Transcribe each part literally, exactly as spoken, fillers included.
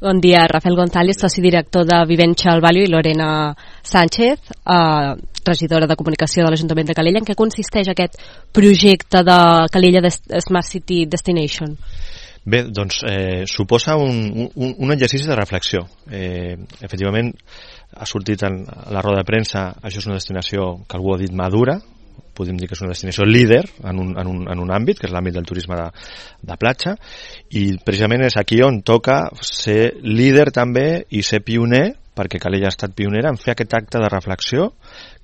Bon dia, Rafael González, soci director de Viventure Value, i Lorena Sánchez, eh, regidora de comunicació de l'Ajuntament de Calella. En què consisteix aquest projecte de Calella Smart City Destination? Bé, doncs eh, suposa un, un, un exercici de reflexió. Eh, efectivament, ha sortit en la roda de premsa, això és una destinació que algú ha dit madura, podem dir que és una destinació líder en un, en un, en un àmbit, que és l'àmbit del turisme de, de platja, i precisament és aquí on toca ser líder també i ser pioner, perquè Calella ha estat pionera en fer aquest acte de reflexió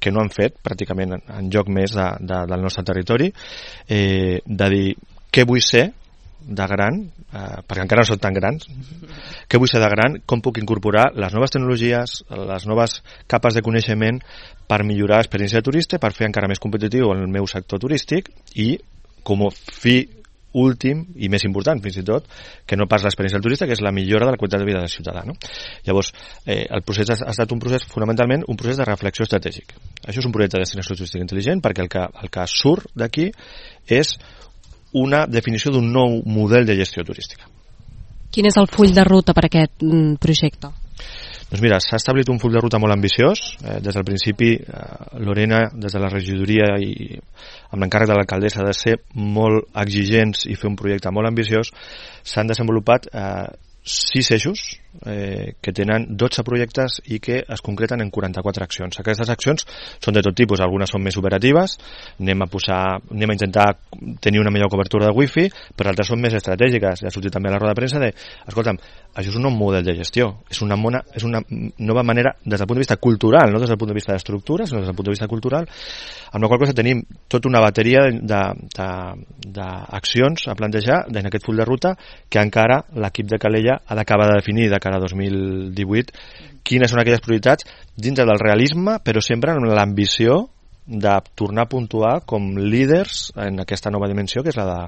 que no han fet pràcticament en lloc més de, de, del nostre territori, eh, de dir què vull ser de gran, eh, perquè encara no són tan grans, què vull ser de gran, com puc incorporar les noves tecnologies, les noves capes de coneixement per millorar l'experiència de turista, per fer encara més competitiu el meu sector turístic i com a fi últim i més important fins i tot, que no pas l'experiència del turista, que és la millora de la qualitat de vida del ciutadà, no? Llavors, eh, el procés ha, ha estat un procés, fonamentalment, un procés de reflexió estratègic. Això és un projecte de destinació turística intel·ligent perquè el que, el que surt d'aquí és una definició d'un nou model de gestió turística. Quin és el full de ruta per a aquest mm, projecte? Doncs mira, s'ha establit un full de ruta molt ambiciós. Eh, des del principi, eh, Lorena, des de la regidoria i amb l'encàrrec de l'alcaldessa de ser molt exigents i fer un projecte molt ambiciós, s'han desenvolupat eh, sis eixos eh, que tenen dotze projectes i que es concreten en quaranta-quatre accions. Aquestes accions són de tot tipus, algunes són més operatives, anem a posar, anem a intentar tenir una millor cobertura de wifi, però altres són més estratègiques. Ja ha sortit també a la roda de premsa de, escolta'm, això és un nou model de gestió, és una, mona, és una nova manera des del punt de vista cultural, no des del punt de vista d'estructura, sinó des del punt de vista cultural, amb la qual cosa tenim tota una bateria d'accions a plantejar en aquest full de ruta que encara l'equip de Calella ha d'acabar de definir de cara a dos mil divuit quines són aquelles prioritats dintre del realisme, però sempre amb l'ambició de tornar a puntuar com líders en aquesta nova dimensió, que és la de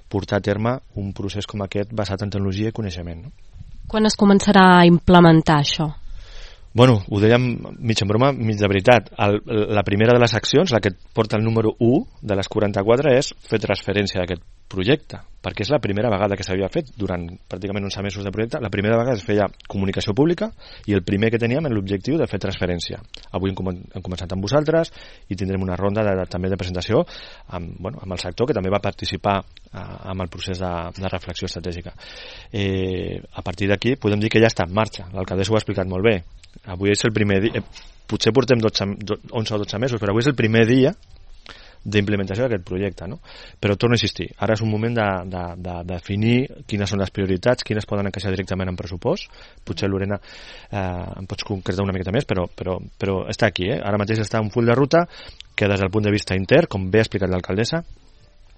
portar a terme un procés com aquest basat en tecnologia i coneixement, no? Quan es començarà a implementar això? Bueno, ho dèiem mig en broma, mig de veritat. El, la primera de les accions, la que porta el número u de les quaranta-quatre, és fer transferència d'aquest projecte, perquè és la primera vegada que s'havia fet durant pràcticament onze mesos de projecte. La primera vegada es feia comunicació pública i el primer que teníem era l'objectiu de fer transferència. Avui hem, com hem començat amb vosaltres i tindrem una ronda de, de, també de presentació amb, bueno, amb el sector que també va participar a, amb el procés de, de reflexió estratègica. Eh, a partir d'aquí podem dir que ja està en marxa. L'alcaldessa ho ha explicat molt bé. Avui és el primer dia, eh, potser portem dotze, onze o dotze mesos, però avui és el primer dia d'implementació d'aquest projecte, no? Però torno a insistir, ara és un moment de, de, de definir quines són les prioritats, quines poden encaixar directament en pressupost. Potser, Lorena, eh, em pots concretar una miqueta més, però, però, però està aquí, eh? Ara mateix està un full de ruta que des del punt de vista intern, com bé ha explicat l'alcaldessa,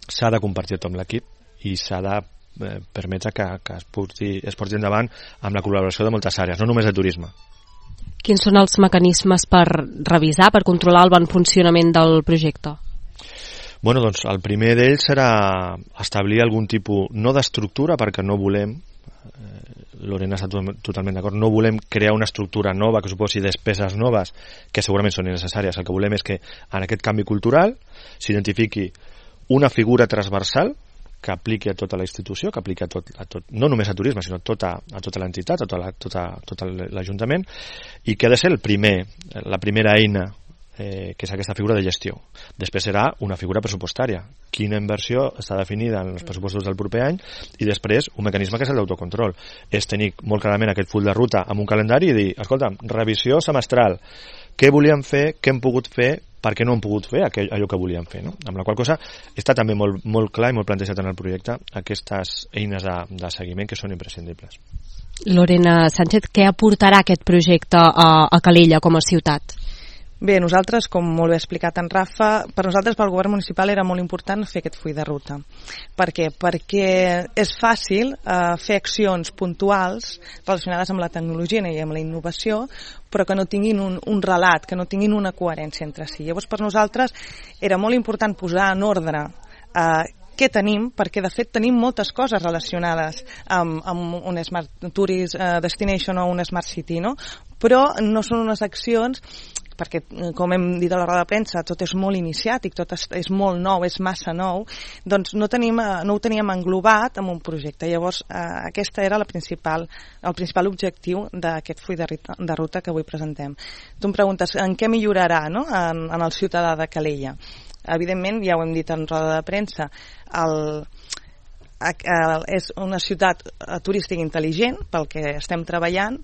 s'ha de compartir tot amb l'equip i s'ha de eh, permetre que, que es, porti, es porti endavant amb la col·laboració de moltes àrees, no només de turisme. Quins són els mecanismes per revisar, per controlar el bon funcionament del projecte? Bueno, doncs el primer d'ells serà establir algun tipus, no d'estructura, perquè no volem, eh, Lorena està totalment d'acord, no volem crear una estructura nova que suposi despeses noves, que segurament són necessàries. El que volem és que en aquest canvi cultural s'identifiqui una figura transversal que apliqui a tota la institució, que apliqui a tot, a tot no només a turisme, sinó a tota, a tota l'entitat, a tota, tota, tot l'Ajuntament, i que ha de ser el primer, la primera eina Eh, que és aquesta figura de gestió. Després serà una figura pressupostària. Quina inversió està definida en els pressupostos del proper any, i després un mecanisme que és el d'autocontrol. És tenir molt clarament aquest full de ruta amb un calendari i dir, escolta, revisió semestral, què volíem fer, què hem pogut fer, per què no hem pogut fer aquell, allò que volíem fer, no? Amb la qual cosa està també molt, molt clar i molt plantejat en el projecte aquestes eines de, de seguiment que són imprescindibles. Lorena Sánchez, què aportarà aquest projecte a, a Calella com a ciutat? Bé, nosaltres, com molt bé ha explicat en Rafa, per nosaltres, pel govern municipal, era molt important fer aquest full de ruta. Per què? Perquè és fàcil eh, fer accions puntuals relacionades amb la tecnologia i amb la innovació, però que no tinguin un, un relat, que no tinguin una coherència entre si. Llavors, per nosaltres, era molt important posar en ordre eh, què tenim, perquè de fet tenim moltes coses relacionades amb, amb un Smart Tourist Destination o un Smart City, no? Però no són unes accions perquè, com hem dit a la roda de premsa, tot és molt iniciàtic, tot és, és molt nou, és massa nou, doncs no, tenim, no ho teníem englobat en un projecte. Llavors, eh, aquesta era la principal, el principal objectiu d'aquest full de, de ruta que avui presentem. Tu em preguntes en què millorarà, no?, en, en el ciutadà de Calella. Evidentment, ja ho hem dit en roda de premsa, el, el, és una ciutat turística intel·ligent pel que estem treballant,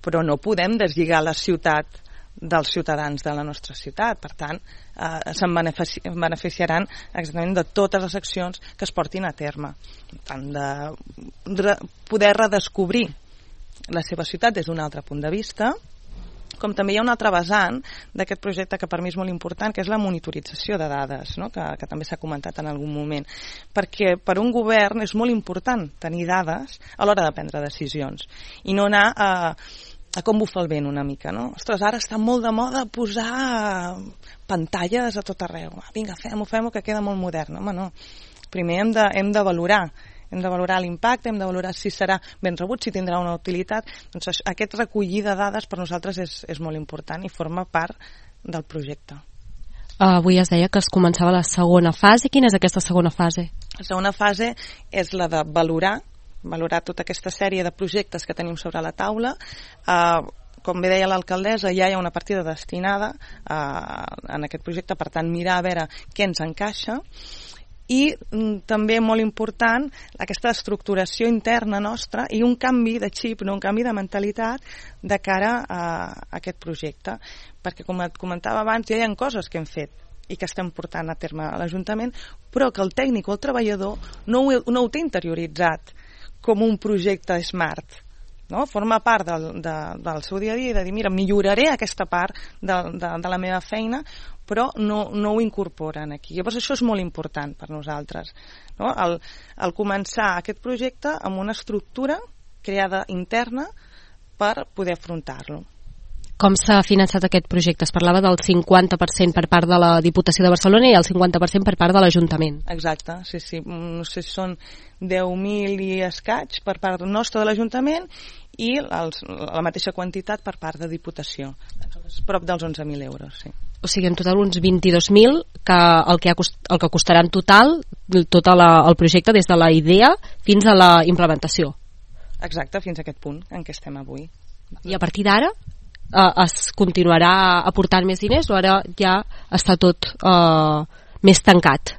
però no podem deslligar la ciutat dels ciutadans de la nostra ciutat. Per tant, eh, se'n benefici beneficiaran exactament de totes les accions que es portin a terme. Tant de re poder redescobrir la seva ciutat des d'un altre punt de vista, com també hi ha un altre vessant d'aquest projecte que per mi és molt important, que és la monitorització de dades, no?, que, que també s'ha comentat en algun moment. Perquè per un govern és molt important tenir dades a l'hora de prendre decisions i no anar a a com bufa el vent una mica, no? Ostres, ara està molt de moda posar pantalles a tot arreu. Vinga, fem-ho, fem-ho, que queda molt modern. Home, no. Primer hem de, hem de valorar, hem de valorar l'impacte, hem de valorar si serà ben rebut, si tindrà una utilitat. Doncs aquest recollir de dades per nosaltres és, és molt important i forma part del projecte. Uh, avui es deia que es començava la segona fase. Quina és aquesta segona fase? La segona fase és la de valorar valorar tota aquesta sèrie de projectes que tenim sobre la taula. Eh, com bé deia l'alcaldessa, ja hi ha una partida destinada eh, en aquest projecte, per tant, mirar a veure què ens encaixa. I mm, també molt important aquesta estructuració interna nostra i un canvi de xip, no? Un canvi de mentalitat de cara a, a aquest projecte. Perquè, com et comentava abans, ja hi ha coses que hem fet i que estem portant a terme a l'Ajuntament, però que el tècnic o el treballador no ho, no ho té interioritzat com un projecte smart, no? Forma part del, de, del seu dia a dia de dir, mira, milloraré aquesta part de, de, de la meva feina, però no, no ho incorporen aquí. Llavors això és molt important per nosaltres, no? El, el començar aquest projecte amb una estructura creada interna per poder afrontar-lo. Com s'ha finançat aquest projecte? Es parlava del cinquanta per cent per part de la Diputació de Barcelona i el cinquanta per cent per part de l'Ajuntament. Exacte, sí, sí. No sé si són deu mil i escaig per part nostra de l'Ajuntament i els, la mateixa quantitat per part de Diputació. Prop dels onze mil euros, sí. O sigui, en total uns vint-i-dos mil, que el que, ha cost, el que costarà en total tot la, el projecte des de la idea fins a la implementació. Exacte, fins a aquest punt en què estem avui. I a partir d'ara Uh, es continuarà aportant més diners o ara ja està tot uh, més tancat?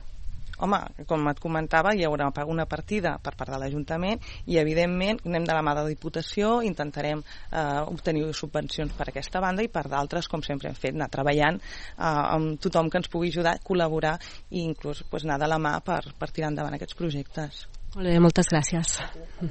Home, com et comentava, hi haurà una partida per part de l'Ajuntament i, evidentment, anem de la mà de la Diputació, intentarem eh, obtenir subvencions per aquesta banda i per d'altres, com sempre hem fet, anar treballant eh, amb tothom que ens pugui ajudar, col·laborar i inclús pues, anar de la mà per, per tirar endavant aquests projectes. Molt bé, moltes gràcies.